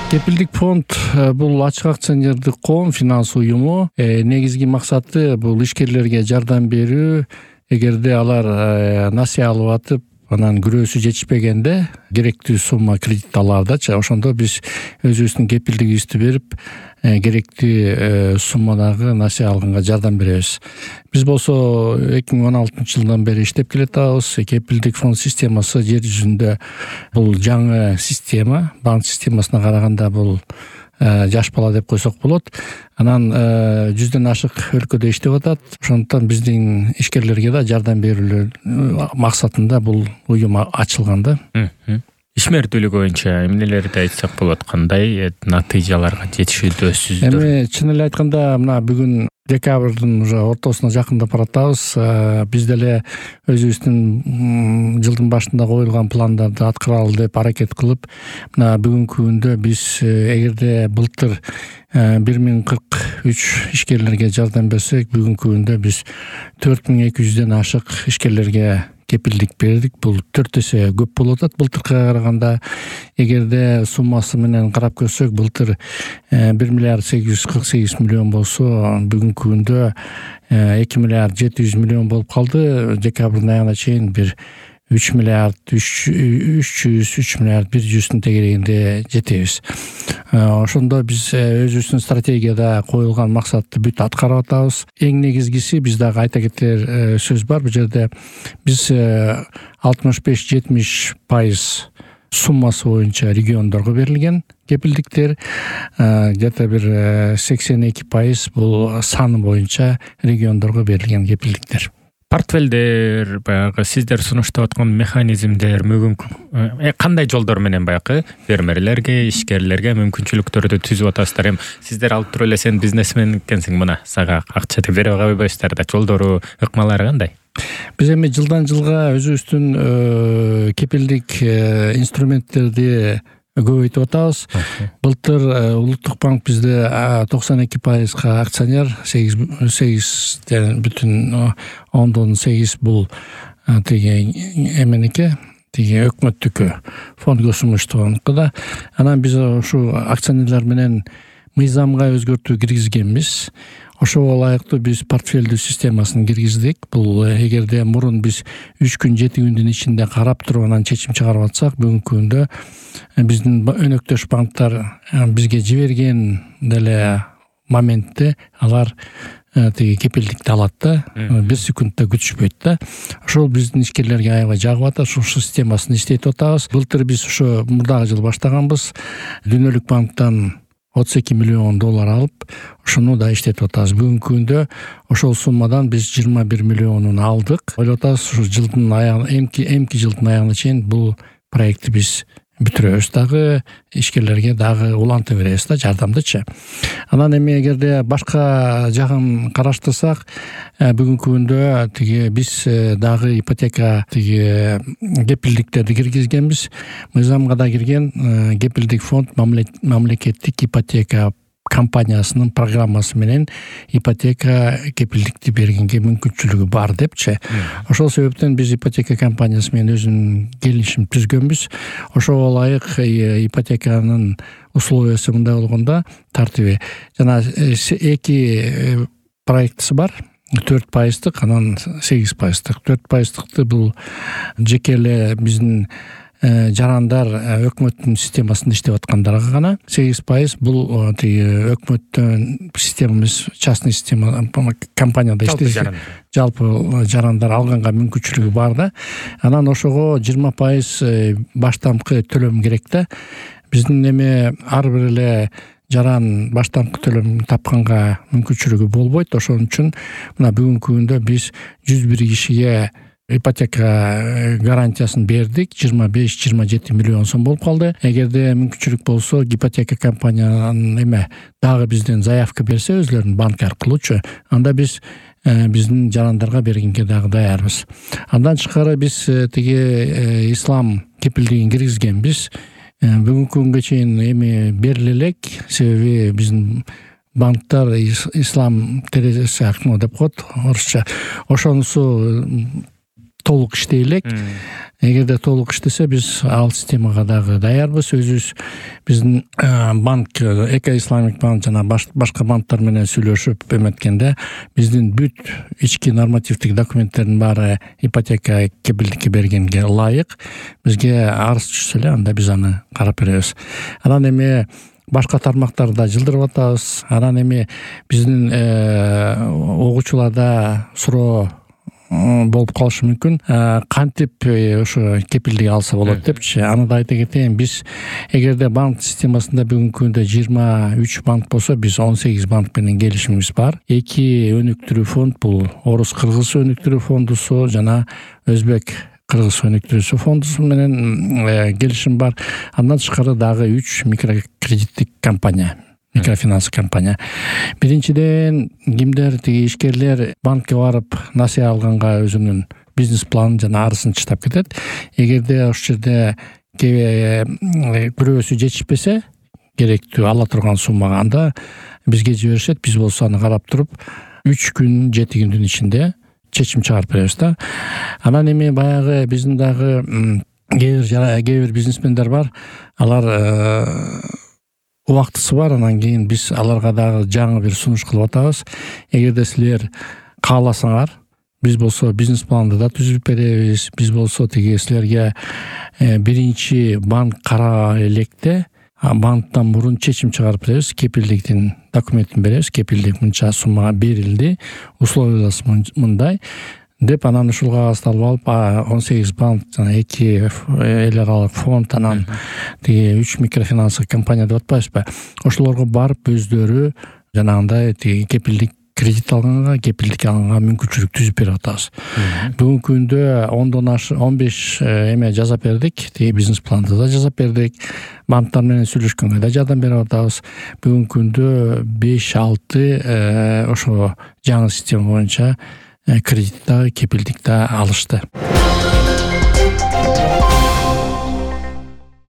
Кепилдик фонд бул ачык акционердик коом финанс уюму. Негизги максаты бул ишкерлерге жардам берүү. Эгерде алар насыя алып атып, анан күрөөсү жетишпегенде керектүү сумма кредит алардачы. Ошондо биз өзүбүздүн кепилдигибизди берип, керектүү суммадагы насыя алганга жардам беребиз. Биз болсо 2016-жылдан бери иштеп келатабыз. Кепилдик фонд системасы жер жүзүндө бул жаңы система, банк системасына караганда бул жаш бала деп койсок болот. Анан 100дөн ашык өлкөдө иштеп атат. Ошондуктан биздин ишкерлерге да жардам берүү максатында бул уюм ачылган да. Ишмердүүлүк боюнча эмнелерди айтсак болот, кандай натыйжаларга жетишүүдөсүздөр? Эми чын эле айтканда мына бүгүн декабрдын уже ортосуна жакындап баратабыз. Биз деле өзүбүздүн жылдын башында коюлган пландарды аткаралы деп аракет кылып, мына бүгүнкү күндө биз эгерде былтыр 1043 ишкерлерге жардам берсек, бүгүнкү күндө биз 4200дөн ашык ишкерлерге кепилдик бердик. Бул 4 эсе көп болуп атат былтыркыга караганда. Эгерде суммасы менен карап көрсөк, былтыр 1 миллиард 848 миллион болсо, бүгүнкү күндө 2 миллиард 700 миллион болуп калды. Декабрдын аягына чейин бир 3 миллиард 3 миллиард 100 тегерегинде жетебиз. Ошондо биз өзүбүздүн стратегияда коюлган максатты бүт аткарып атабыз. Эң негизгиси биз дагы айта кетер сөз бар. Бул жерде биз 65-70% суммасы боюнча региондорго берилген кепилдиктер, где-то бир 82% бул саны боюнча региондорго берилген кепилдиктер. Портфелдер, баягы сиздер сунуштап аткан механизмдер кандай жолдор менен баягы фермерлерге, ишкерлерге мүмкүнчүлүктөрдү түзүп атасыздар? Эми сиздер алып туруп эле сен бизнесмен экенсиң, мына сага акча деп берип койбойсуздар да, жолдору, ыкмалары кандай? Биз эми жылдан жылга өзүбүздүн кепилдик инструменттерди көбөйтүп атабыз. Былтыр Улуттук банк бизде 92% акционер, 8,8 бул тиги эменики, тиги өкмөттүкү, фонд госимуществонуку да. Анан биз ушу акционерлер менен мыйзамга өзгөртүү киргизгенбиз. Ошого ылайыктуу биз портфелдүү системасын киргиздик. Бул эгерде мурун биз 3 күн 7 күндүн ичинде карап туруп анан чечим чыгарып атсак, бүгүнкү күндө биздин өнөктөш банктар бизге жиберген деле моментте алар тиги кепилдикти алат да, 1 секундта күтүшпөйт да. Ошол биздин ишкерлерге аябай жагып атат. Ушул системасын иштетип атабыз. Былтыр биз ошо мурдагы жыл баштаганбыз. Дүйнөлүк банктан $32 миллион алып, ошону да иштетип атабыз. Бүгүнкү күндө ошол суммадан биз 21 миллионун алдык. Ойлоп атабыз, ушу жылдын аягына, эмки жылдын аягына чейин бул проектти биз бүтүрөбүз дагы, ишкерлерге дагы улантып беребиз да, жардамдычы. Анан эми эгерде башка жагын караштырсак, бүгүнкү күндө тиги биз дагы ипотека тиги кепилдиктерди киргизгенбиз. Мыйзамга да кирген кепилдик фонд мамлекеттик ипотека компаниясынын программасы менен ипотека кепилдикти бергенге мүмкүнчүлүгү бар депчи. Ошол себептен биз ипотека компаниясы менен өзүнүн келишим түзгөнбүз. Ошого ылайык ипотеканын условиясы мындай болгондо, тартиби жана 2 проектisi бар. 4%, анан 8%. 4%-ты бул жеке эле биздин жарандар өкмөттүн системасында иштеп аткандарга гана, 8% бул тиги өкмөттүн системабыз, частный система компанияда иштейт. Жалпы жарандар алганга мүмкүнчүлүгү бар да. Анан ошого 20% баштамкы төлөм керек да. Биздин эми ар бир эле жаран баштамкы төлөм тапканга мүмкүнчүлүгү болбойт. Ошон үчүн мына бүгүнкү күндө биз 101 кишиге ипотека гарантиясын бердик. 25-27 миллион сом болуп калды. Эгерде мүмкүнчүлүк болсо, ипотека компаниянын эме дагы бизден заявка берсе, өзлөрүнүн банк аркылуучу, анда биз биздин жарандарга бергенге дагы даярбыз. Андан тышкары биз тиги ислам кепилдигин киргизгенбиз. Бүгүнкү күнгө чейин эми бериле элек, себеби биздин банктар ислам терезеси аркылуу деп коет орусча. Ошонусу толук иштей элек. Эгерде толук иштесе, биз ал системага дагы даярбыз. Өзүбүз биздин банк, Эко-Исламик банк жана башка банктар менен сүйлөшүп эметкенде, биздин бүт ички нормативдик документтердин баары ипотека кепилдикке бергенге ылайык. Бизге арыз түшсө эле, анда биз аны карап беребиз. Анан эми башка тармактарда жылдырып атабыз. Анан эми биздин угуучуларда суроо болуп калышы мүмкүн. Кантип ошо кепилдик алса болот депчи. Аны да айта кетейин. Биз эгерде банк системасында бүгүнкү күндө 23 банк болсо, биз 18 банк менен келишимибиз бар. 2 өнүктүрүү фонд, бул Орус-Кыргыз өнүктүрүү фондусу жана Өзбек-Кыргыз өнүктүрүү фондусу менен келишим бар. Андан тышкары дагы 3 микрокредиттик компания, микрофинанс компания. Биринчиден, кимдер ишкерлер банкке барып насыя алганга өзүнүн бизнес планын жана арызын чыштап кетет. Эгерде ошол жерде бирөөсү жетишпесе, керектүү ала турган суммага, анда бизге жиберишет. Биз болсо аны карап туруп 3 күн 7 күндүн ичинде чечим чыгарып беребиз да. Анан эми баягы биздин дагы кээ бир бизнесмендер бар. Алар убактысы бар, анан кийин биз аларга дагы жаңы бир сунуш кылып атабыз. Эгерде силер кааласаңар, биз болсо бизнес планды да түзүп беребиз. Биз болсо силерге биринчи банк караа электе банктан мурун чечим чыгарып беребиз, кепилдиктин документин беребиз. Кепилдик мынча суммага берилди, условиясы мындай деп, анан ушул кагазды алып 18 банк жана 2 эл аралык фонд, анан 3 микрофинанс компания деп атпайбызбы, ошолорго барып өздөрү жанагындай кепилдик кредит алганга, кепилдик алганга мүмкүнчүлүк түзүп берип атабыз. Бүгүнкү күндө 15 эме жазап бердик, бизнес планды да жазап бердик. Банктар менен сүйлөшкөнгө да жардам берип атабыз. Бүгүнкү күндө 5-6 ошо жаңы система боюнча кредит да, кепилдик да алышты.